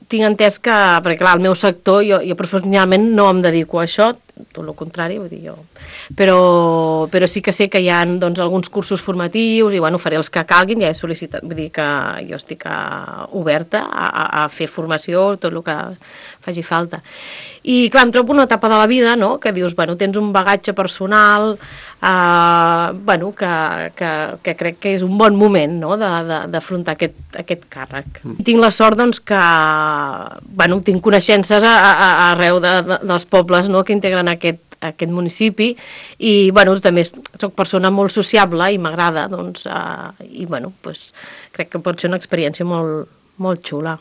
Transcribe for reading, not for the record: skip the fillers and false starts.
tinc entès que, perquè clar, el meu sector, jo professionalment no em dedico a això, tot el contrari, vull dir jo. Però sí que sé que hi ha doncs, alguns cursos formatius i bueno, faré els que calguin, ja he sol·licitat, vull dir que jo estic oberta a fer formació, tot el que faci falta. I clar, em trobo una etapa de la vida, no?, que dius, bueno, tens un bagatge personal, bueno, que crec que és un bon moment, no?, d'afrontar aquest càrrec. Tinc la sort, doncs, que, bueno, tinc coneixences arreu dels pobles, no?, que integren aquest municipi i, bueno, també soc persona molt sociable i m'agrada, doncs, i, bueno, crec que pot ser una experiència molt, molt xula.